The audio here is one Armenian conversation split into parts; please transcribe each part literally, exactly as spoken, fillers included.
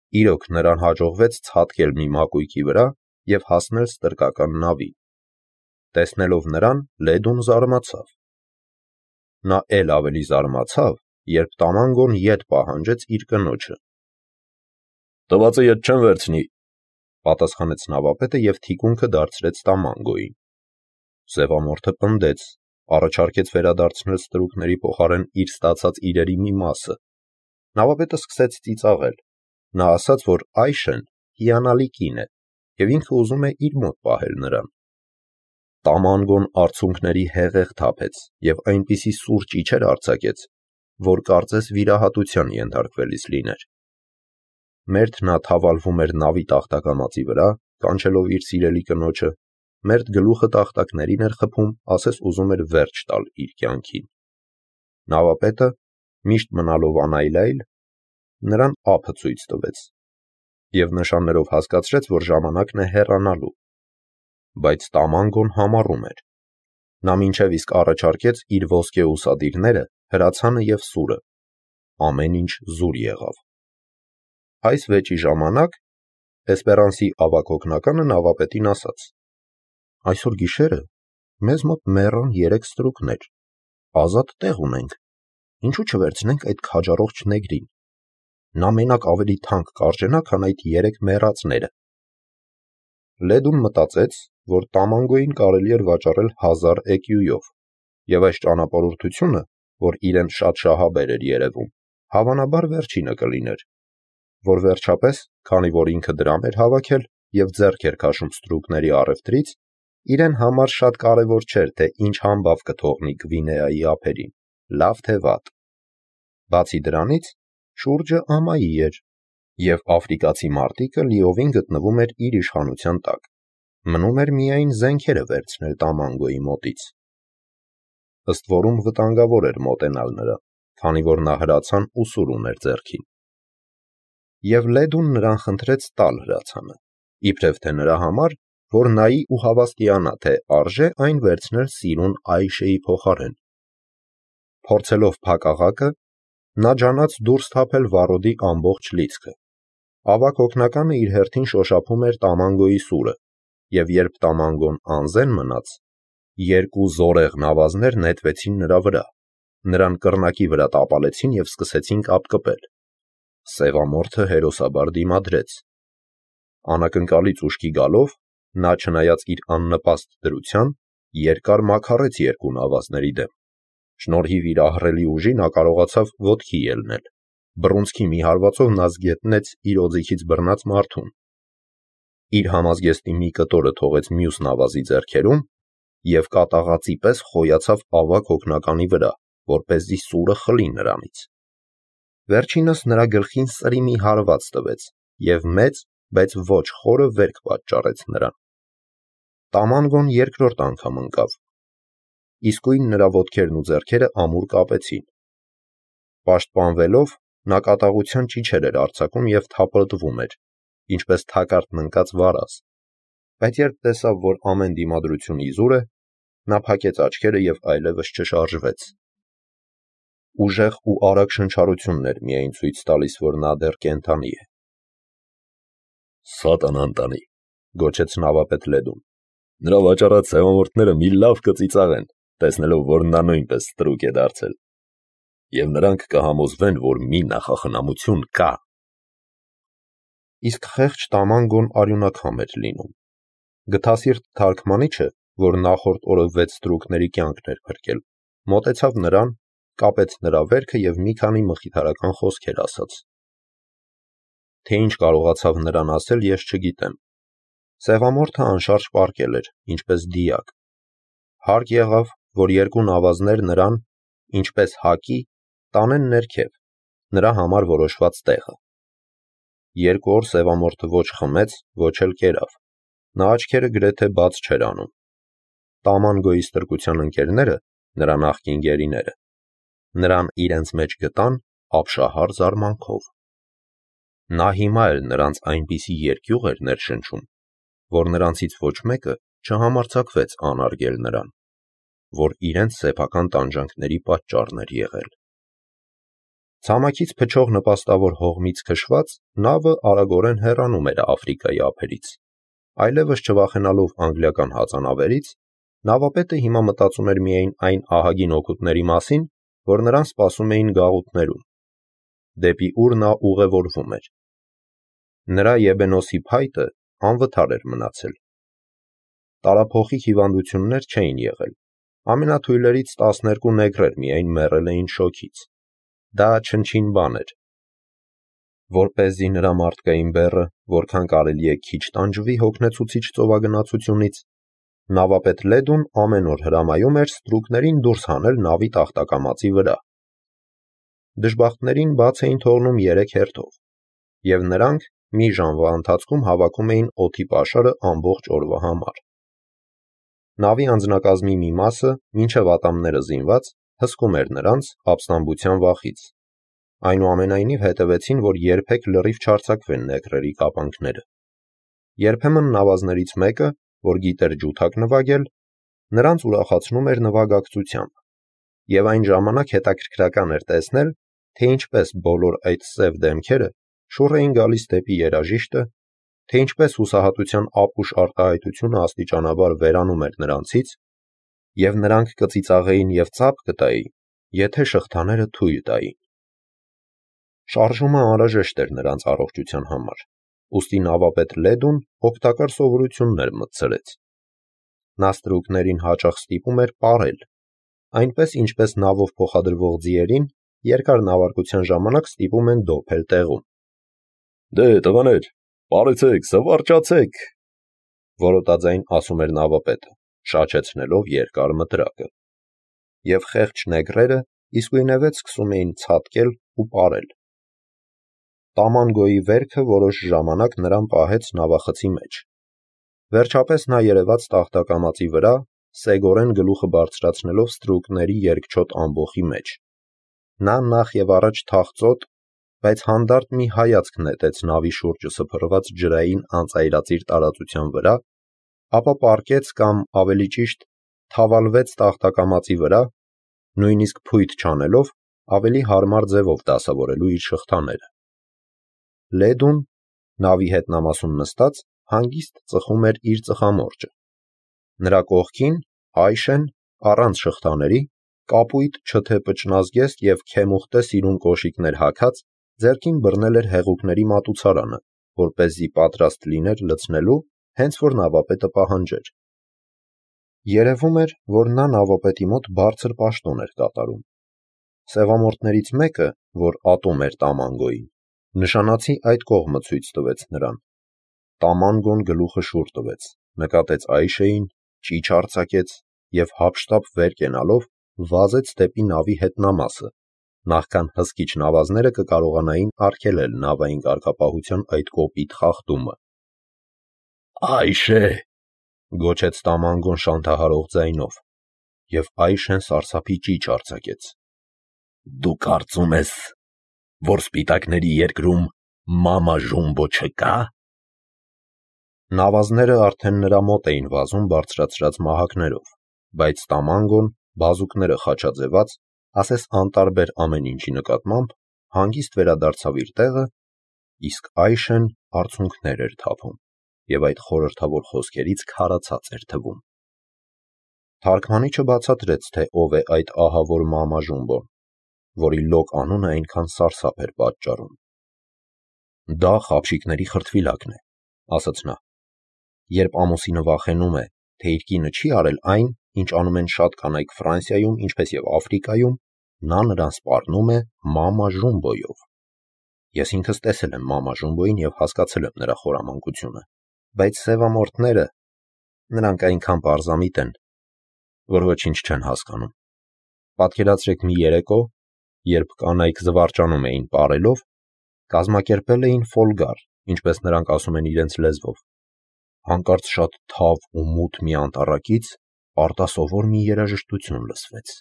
Իրոք նրան հաջողվեց ցատկել մի մակույկի վրա և հասնել ստրկական նավի։ Տեսնելով նրան, Լեդուն զարմացավ։ Նա էլ ավելի զարմացավ, երբ Տամանգոն ետ պահանջեց իր կնոջը։ «Տվածը ետ չեմ վերցնի», պատասխանեց նավապետը և թիկունքը դարձրեց Տամանգոյին։ Սևամորթը պնդեց, առաջարկեց վերադարձնել ստրուկների փոխարեն իր ստացած իրերի մի մասը։ Նավապետը սկսեց ծիծաղել։ Նա ասաց, որ Այշեն հիանալի կին է, և ինքը ուզում է իր մոտ պահել նրան։ Տամանգոն արցունքների հեղեղ թափեց և այնպիսի սուր ճիչեր արձակեց, որ կարծես վիրահատության ենթարկվելիս լիներ։ Մերթ նա թավալվում էր նավի տախտակամածի վրա, կանչելով իր սիրելի կնոջը, մերթ գլուխը տախտակներին էր խփում, ասես ուզում էր վերջ տալ իր կյանքին։ Նավապետը, միշտ մնալով անայլայլ, նրան ափը ցույց տվեց և նշաններով հասկացրեց, որ ժամանակն է հեռանալու։ Բայց Տամանգոն համառում էր։ Նա մինչև իսկ առաջարկեց իր ոսկե ուսադիրները, հրացանը և սուրը։ Ամեն ինչ զուր եղավ։ Այս վեճի ժամանակ Էսպերանսի ավագ հոգնականը նավապետին ասաց. «Այսօր գիշերը մեզ մոտ մեռան երեք ստրուկներ, ազատ տեղ ունենք, ինչու չվերցնենք այդ քաջառողջ նեգրին, նա մենակ ավելի թանկ կարժենա, քան այդ երեք մեռածները»։ Լեդուն մտածեց, որ Տամանգոյին կարելի էր վաճառել հազար էկյույով, և այս ճանապարհորդությունը, որ իրեն շատ շահաբեր էր երևում, հավանաբար վերջինը կլիներ, որ վերջապես, քանի որ ինքը դրամ էր հավաքել և ձեռք էր քաշում ստրուկների առևտրից, իրեն համար շատ կարևոր չէր, թե ինչ համբավ կթողնի Գվինեայի ափերին, լավ թե վատ։ Բացի դրանից, շուրջը ամայի էր, և աֆրիկացի մարտիկը լիովին գտնվում էր իր իշխանության տակ։ Մնում էր միայն զենքերը վերցնել Տամանգոյի մոտից։ Ըստ որում վտանգավոր էր մոտենալ նրան, քանի որ նա հրացան ու սուր ուներ ձեռքին։ Եվ Լեդուն նրան խնդրեց տալ հրացանը, իբրև թե նրա համար, որ նայի ու հավաստիանա, թե արժե այն վերցնել սիրուն Այշեի փոխարեն։ Փորձելով փակաղակը, նա ջանաց դուրս թափել վառոդի ամբողջ լիցքը։ Ավագ հոգնականը իր հերթին շոշափում էր Տամանգոյի սուրը, և երբ Տամանգոն անզեն մնաց, երկու զորեղ նավազներ նետվեցին նրա վրա, նրան կռնակի վրա տապալեցին և սկսեցին կապկպել։ Սևամորթը հերոսաբար դիմադրեց։ Անակնկալից ուշքի գալով, նա, չնայած իր աննպաստ դրության, երկար մաքարեց երկու նավազների դեմ։ Շնորհիվ իր ահռելի ուժի նա կարողացավ ոտքի ելնել։ Բռունցքի մի հարվածով նա զգետնեց իր օձիքից բռնած մարդուն։ Իր համազգեստի մի կտորը թողեց մյուս նավազի ձեռքերում և կատաղածի պես խոյացավ ավագ հոգնականի վրա, որպեսզի սուրը խլի նրանից։ Վերջինս նրա գլխին սրի մի հարված տվեց և մեծ, բայց ոչ խորը վերք պատճառեց նրան։ Տամանգոն երկրորդ անգամ ընկավ։ Իսկույն նրա ոտքերն ու ձեռքերը ամուր կապեցին։ Պաշտպանվելով, նա կատաղության ճիչեր էր արձակում և թապլտվում էր, ինչպես թակարդն ընկած վարազ, բայց երբ տեսավ, որ ամեն դիմադրություն իզուր է, նա փակեց աչքերը և այլևս չշարժվեց։ Ուժեղ ու արագ շնչառությունն էր միայն ցույց տալիս, որ նա դեռ կենդանի է։ «Սատանան տանի», գոչեց նավապետ Լեդուն։ «Նրա վաճառած սևամորթները մի լավ կծիծաղեն, տեսնելով, որ նա նույնպես ստրուկ է դարձել։ Եվ նրանք կհամոզվեն, որ մի նախախնամություն կա»։ Իսկ խեղճ Տամանգոն արյունակամ էր լինում։ Գթասիրտ թարգմանիչը, որ նախորդ օրը վեց ստրուկների կյանքն էր փրկել, մոտեցավ նրան, կապեց նրա վերքը և մի քանի մխիթարական խոսքեր ասաց։ Թե ինչ կարողացավ նրան ասել, ես չգիտեմ։ Սևամորթը անշարժ պառկել էր, ինչպես դիակ։ Հարկ եղավ, որ երկու նավազներ նրան, ինչպես հակի, տանեն ներքև, նրա համար որոշված տեղը։ Երկու օր Սևամորթը ոչ խմեց, ոչ էլ կերավ։ Նա աչքերը գրեթե բաց չէր անում։ Տամանգոյի ստրկության ընկերները, նրա նախկին գերիները, նրան իրենց մեջ գտան ապշահար զարմանքով։ Նա հիմա էլ նրանց այնպիսի երկյուղ էր ներշնչում, որ նրանցից ոչ մեկը չհամարձակվեց անարգել նրան, որ իրենց սեփական տանջանքների պատճառն էր եղել։ Ցամաքից փչող նպաստավոր հողմից քշված նավը արագորեն հեռանում էր Աֆրիկայի ափերից, այլևս չվախենալով անգլիական հածանավերից, նավապետը հիմա մտածում էր միայն այն ահագին օգուտների մասին, որ նրան սպասում էին գաղութներում, դեպի ուր նա ուղևորվում էր։ Նրա Եբենոսի փայտը անվթար էր մնացել։ Տարափոխիկ հիվանդություններ չէին եղել, ամենաթույլերից տասներկու նեգրեր միայն մեռել էին շոքից։ Դա չնչին բան էր։ Որպեսզի նրա մարդկային բեռը որքան կարելի է քիչ տանջվի հոգնեցուցիչ ծովագնացությունից, նավապետ Լեդուն ամեն օր հրամայում էր ստրուկներին դուրս հանել նավի տախտակամածի վրա։ Դժբախտներին բաց էին թողնում երեք հերթով, և նրանք մի ժամվա ընթացքում հավաքում էին օդի պաշարը ամբողջ օրվա համար։ Նավի անձնակազմի մի մասը, մինչև ատամները զինված, հսկում էր նրանց ապստամբության վախից։ Այնուամենայնիվ հետևեցին, որ երբեք լրիվ չարձակվեն նեգրերի կապանքները։ Երբեմն նավազներից մեկը, որ գիտեր ջութակ նվագել, նրանց ուրախացնում էր նվագակցությամբ, և այն ժամանակ հետաքրքրական էր տեսնել, թե ինչպես բոլոր այդ սև դեմքերը շուռ էին գալիս դեպի երաժիշտը, թե ինչպես հուսահատության ապուշ արտահայտությունը աստիճանաբար վերանում էր նրանցից, և նրանք կծիծաղեին և ծափ կտային, եթե շղթաները թույլ տային։ Շարժումը անհրաժեշտ էր նրանց առողջության համար, ուստի նավապետ Լեդուն օգտակար սովորություններ մտցրեց։ Նա ստրուկներին հաճախ ստիպում էր պարել, այնպես ինչպես նավով փոխադրվող ձիերին երկար նավարկության ժամանակ ստիպում են դոփել տեղում։ «Դե, տղաներ, պարեցեք, զվարճացեք», որոտաձայն ասում էր նավապետը, շաչեցնելով երկար մտրակը։ Եվ խեղճ նեգրերը իսկույնևեթ սկսում էին ցատկել ու պարել։ Տամանգոյի վերքը որոշ ժամանակ նրան պահեց նավախցի մեջ։ Վերջապես նա երևաց տախտակամածի վրա, սեգորեն գլուխը բարձրացնելով ստրուկների երկչոտ ամբոխի մեջ։ Նա նախ և առաջ թախծոտ, բայց հանդարտ մի հայացք նետեց նավի շուրջը սփռված ջրային անծայրածիր տարածության վրա, ապա պառկեց կամ, ավելի ճիշտ, թավալվեց տախտակամածի վրա, նույնիսկ փույթ չանելով, ավելի հարմար ձևով դասավորելու իր շղթաները։ Լեդուն, նավի հետնամասում նստած, հանգիստ ծխում էր իր ծխամորճը։ Նրա կողքին Այշեն, առանց շղթաների, կապույտ չթե պճնազգեստ և քեմուխտե սիրուն կոշիկներ հագած, ձեռքին բռնել էր հեղուկների մատուցարանը, որպեսզի պատրաստ լիներ լցնելու, հենց որ նավապետը պահանջեր։ Երևում էր, որ նա նավապետի մոտ բարձր պաշտոն էր կատարում։ Սևամորթներից մեկը, որ ատում էր Տամանգոյին, նշանացի այդ կողմը ցույց տվեց նրան։ Տամանգոն գլուխը շուռ տվեց, նկատեց Այշեին, ճիչ արձակեց և հափշտապ վեր կենալով վազեց դեպի նավի հետնամասը, նախքան հսկիչ նավազները կկարողանային արգելել նավային կարգապահության այդ կոպիտ խախտումը։ «Այշե», գոչեց Տամանգոն շանթահարող ձայնով, և Այշեն սարսափի ճիչ արձակեց։ «Դու կարծում ես, որ սպիտակների երկրում մամա Ժումբո չկա»։ Նավազները արդեն նրա մոտ էին վազում բարձրացրած մահակներով, բայց Տամանգոն, բազուկները խաչաձևած, ասես անտարբեր ամեն ինչի նկատմամբ, հանգիստ վերադարձավ իր տեղը, իսկ Այշեն արցունքներ էր թափում և այդ խորհրդավոր խոսքերից քարացած էր թվում։ Թարգմանիչը բացատրեց, թե ով է այդ ահավոր մամա Ժումբոն, որի լոկ անունը այնքան սարսափ էր պատճառում։ «Դա խաբշիկների խրտվիլակն է», ասաց նա։ «Երբ ամուսինը վախենում է, թե իր կինը չի արել այն, ինչ անում են շատ կանայք Ֆրանսիայում, ինչպես և Աֆրիկայում, նա նրան սպառնում է մամա Ժումբոյով։ Ես ինքս տեսել եմ մամա Ժումբոյին և հասկացել եմ նրա խորամանկությունը, բայց սևամորթները, նրանք այնքան պարզամիտ են, որ ոչինչ չեն հասկանում։ Պատկերացրեք մի երեկո, երբ կանայք զվարճանում էին պարելով, կազմակերպել էին ֆոլգար, ինչպես նրանք ասում են իրենց լեզվով։ Հանկարծ շատ թավ ու մութ մի անտառակից արտասովոր մի երաժշտություն լսվեց։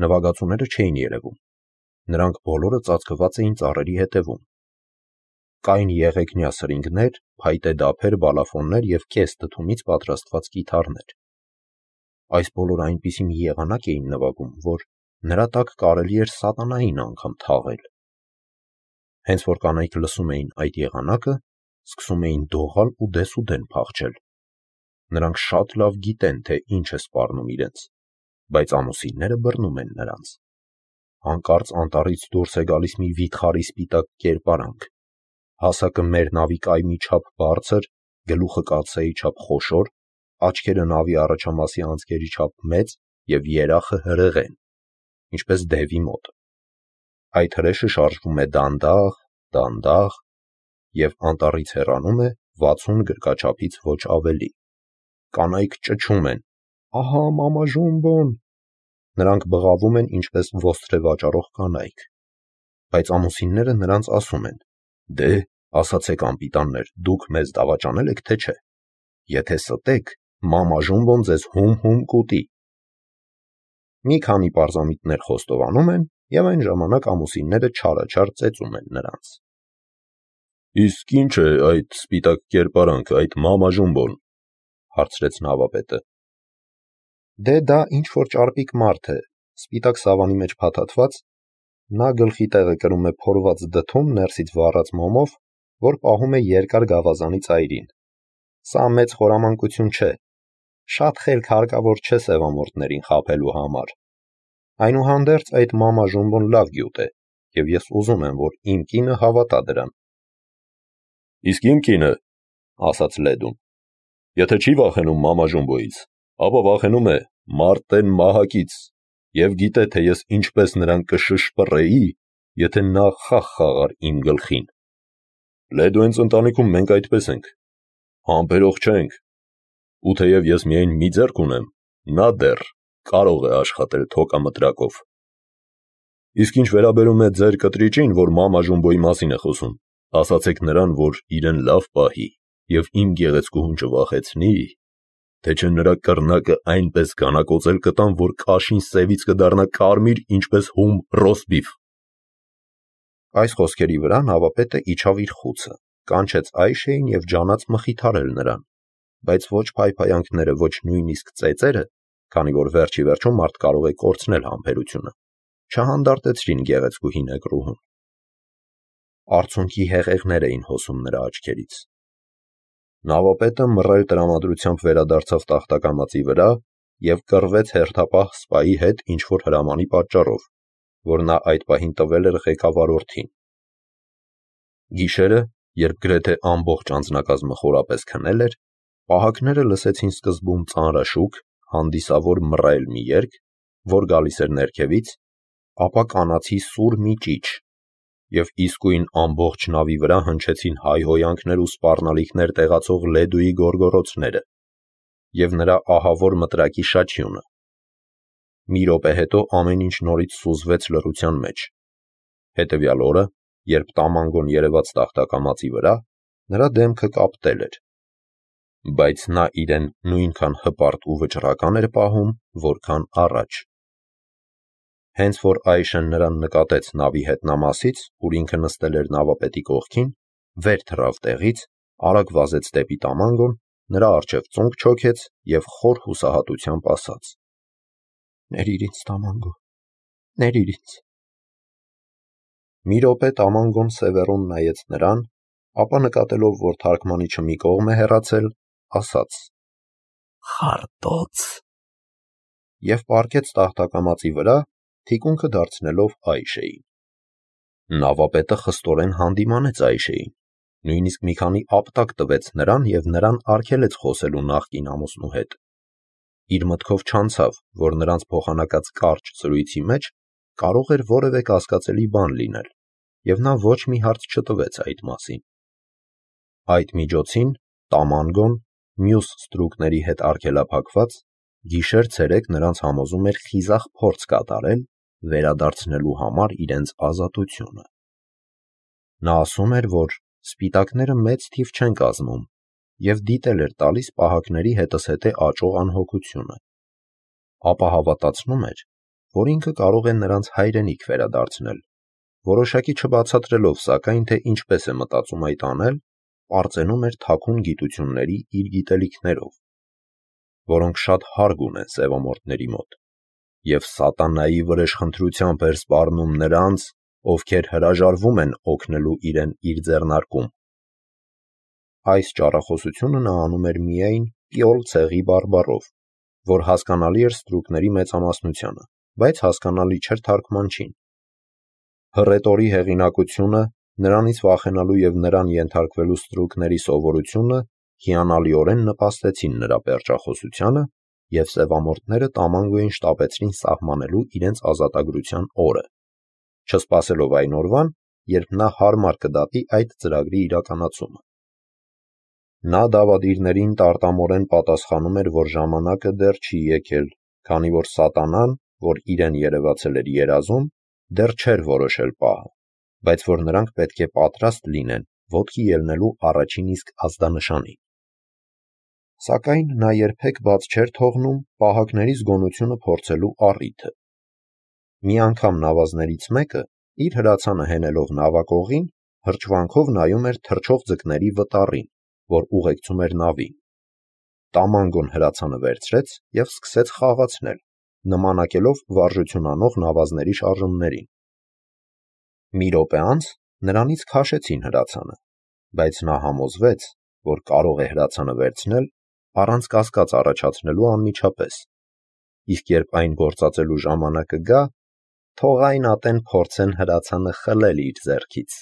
Նվագածուները չէին երևում։ Նրանք բոլորը ծածկված էին ծառերի ետևում։ Կային եղեգնյա սրինգներ, փայտե դափեր, բալաֆոններ և կես թթումից պատրաստված կիթառներ։ Այս բոլորը այնպիսի մի եղանակ էին նվագում, որ նրա տակ կարելի էր սատանային անգամ թաղել։ Հենց որ կանայք լսում էին այդ եղանակը, սկսում էին դողալ ու դեսուդեն փախչել։ Նրանք շատ լավ գիտեն, թե ինչ է սպառնում իրենց, բայց ամուսինները բռնում են նրանց։ Հանկարծ անտառից դուրս է գալիս մի վիթխարի սպիտակ կերպարանք։ Հասակը մեր նավի կայմի չափ բարձր, գլուխը կաթսայի չափ խոշոր, աչքերը նավի առաջամասի անցքերի չափ մեծ և երախը հրեղեն, ինչպես դևի մոտ։ Այդ հրեշը շարժվում է դանդաղ, դանդաղ և անտառից հեռանում է վաթսուն գրկաչափից ոչ ավելի։ Կանայք ճչում են. «Ահա մամա Ժումբոն»։ Նրանք բղավում են ինչպես ոստրե վաճառող կանայք։ Բայց ամուսինները նրանց ասում են. «Դե, ասացեք անպիտաններ, դուք մեզ դավաճանել եք, թե չէ։ Եթե ստեք, մամա Ժումբոն ձեզ հում-հում կուտի»։ Մի քանի պարզամիտներ խոստովանում են, և այն ժամանակ ամուսինները չարաչար ծեծում են նրանց։ «Իսկ ի՞նչ է այդ սպիտակ կերպարանքը, այդ մամա Ժումբոն», հարցրեց նավապետը։ Դե դա ինչ-որ ճարպիկ մարդ է, սպիտակ սավանի մեջ փաթաթված, նա գլխի տեղը կրում է փորված դդում ներսից վառած մոմով, որ պահում է երկար գավազանի ծայրին։ Սա մեծ խորամանկություն չէ, շատ խելք հարկավոր չէ սևամորթներին խաբելու համար։ Այնուհանդերձ այդ մամա Ժումբոն լավ գյուտ է, և ես ուզում եմ, որ իմ կինը հավատա դրան։ «Իսկ իմ կինը, — ասաց Լեդուն, — եթե չի վախենում մամա Ժումբոյից, ապա վախենում է Մարտեն մահակից և գիտե, թե ես ինչպես նրան կշշպռեի, եթե նա խաղ խաղար իմ գլխին։ Լեդու հենց ընտանիքում մենք այդպես ենք, համբերող չենք, ու թեև ես միայն մի ձեռք ունեմ, նա դեռ կարող է աշխատել թոկամտրակով։ Իսկ ինչ վերաբերում է ձեր կտրիճին, որ մամա Ժումբոյի մասին է խոսում, ասացեք նրան, որ իրեն լավ պահի և իմ գեղեցկուհուն չվախեցնի, թե չէ նրա կռնակը այնպես գանակոծել կտամ, որ կաշին սևից կդառնա կարմիր, ինչպես հում ռոստբիֆ»։ Այս խոսքերի վրա նավապետը իջավ իր խուցը, կանչեց Այշեին և ջանաց մխիթարել նրան, բայց ոչ փայփայանքները, ոչ նույնիսկ ծեծերը, քանի որ վերջ ի վերջո մարդ կարող է կորցնել համբերությունը, չհանդարտեցրին գեղեցկուհի նեկրուհուն։ Արցունքի հեղեղներ էին հոսում նրա աչքերից։ Նավապետը մռայլ տրամադրությամբ վերադարձավ տախտակամածի վրա և կռվեց հերթապահ սպայի հետ ինչ-որ հրամանի պատճառով, որ նա այդ պահին տվել էր ղեկավարորդին։ Գիշերը, երբ գրեթե ամբողջ անձնակազմը խորապես քնել էր, պահակները լսեցին սկզբում ծանրաշուք, հանդիսավոր մռայլ մի երգ, որ գալիս էր ներքևից, ապա կանացի սուր մի ճիչ, և իսկույն ամբողջ նավի վրա հնչեցին հայհոյանքներ ու սպառնալիքներ տեղացող Լեդուի գոռգոռոցները և նրա ահավոր մտրակի շաչյունը։ Մի րոպե հետո ամեն ինչ նորից սուզվեց լռության մեջ։ Հետևյալ օրը, երբ տամանգոն երևաց տախտակամածի վրա, նրա դեմքը կապտել էր, բայց նա իրեն նույնքան հպարտ ու վճռական էր պահում, որքան առաջ։ Հենց որ Այշեն նրան նկատեց նավի հետնամասից, ուր ինքը նստել էր նավապետի կողքին, վեր թռավ տեղից, արագ վազեց դեպի տամանգոն, նրա առջև ծունկ չոքեց և խոր հուսահատությամբ ասաց. «Ներիր ինձ, տամանգո, ներիր ինձ»։ Մի րոպե տամանգոն սևեռուն նայեց նրան, ապա նկատելով, որ թարգմանիչը մի կողմ է հեռացել, ասաց. «Խարտոց» և պառկեց տախտակամածի վրա, թիկունքը դարձնելով Այշեին։ Նավապետը խստորեն հանդիմանեց Այշեին, նույնիսկ մի քանի ապտակ տվեց նրան և նրան արգելեց խոսելու նախկին ամուսնու հետ։ Իր մտքով չանցավ, որ նրանց փոխանակած կարճ զրույցի մեջ կարող էր որևէ կասկածելի բան լինել, և նա ոչ մի հարց չտվեց այդ մասին։ Այդ միջոցին տամանգոն, մյուս ստրուկների հետ արգելափակված, գիշեր-ցերեկ նրանց համոզում էր խիզախ փորձ կատարել, վերադարձնելու համար իրենց ազատությունը։ Նա ասում էր, որ սպիտակները մեծ թիվ չեն կազմում և դիտել էր տալիս պահակների հետզհետե աճող անհոգությունը, ապա հավատացնում էր, որ ինքը կարող է նրանց հայրենիք վերադարձնել, որոշակի չբացատրելով, սակայն, թե ինչպես է մտածում այդ անել, պարծենում էր թաքուն գիտությունների իր գիտելիքներով, որոնք շատ հարգ ունեն սևամորթների մոտ, և սատանայի վրեժխնդրությամբ էր սպառնում նրանց, ովքեր հրաժարվում են օգնելու իրեն իր ձեռնարկում։ Այս ճառախոսությունը նա անում էր միայն կյոլ ցեղի բարբառով, որ հասկանալի էր ստրուկների մեծամասնությանը, բայց հասկանալի չէր թարգմանչին։ Հռետորի հեղինակությունը, նրանից վախենալու և նրան ենթարկվելու ստրուկների սովորությունը հիանալիորեն նպաստեցին նրա պերճախոսությանը, և սևամորթները տամանգոյին շտապեցրին սահմանելու իրենց ազատագրության օրը, չսպասելով այն օրվան, երբ նա հարմար կդատի այդ ծրագրի իրականացումը։ Նա դավադիրներին տարտամորեն պատասխանում էր, որ ժամանակը դեռ չի եկել, քանի որ Սատանան, որ իրեն երևացել էր երազում, դեռ չէր որոշել պահը, բայց որ նրանք պետք է պատրաստ լինեն ոտքի ելնելու առաջին իսկ ազդանշանին։ Սակայն նա երբեք բաց չէր թողնում պահակների զգոնությունը փորձելու առիթը։ Մի անգամ նավազներից մեկը, իր հրացանը հենելով նավակողին, հրճվանքով նայում էր թռչող ձկների վտառին, որ ուղեկցում էր նավին։ Տամանգոն հրացանը վերցրեց և սկսեց խաղացնել, նմանակելով վարժություն անող նավազների շարժումներին։ Մի րոպե անց նրանից քաշեցին հրացանը, բայց նա համոզվեց, որ կարող է հրացանը վերցնել առանց կասկած առաջացնելու անմիջապես, իսկ երբ այն գործածելու ժամանակը գա, թող այն ատեն փորձեն հրացանը խլել իր ձեռքից։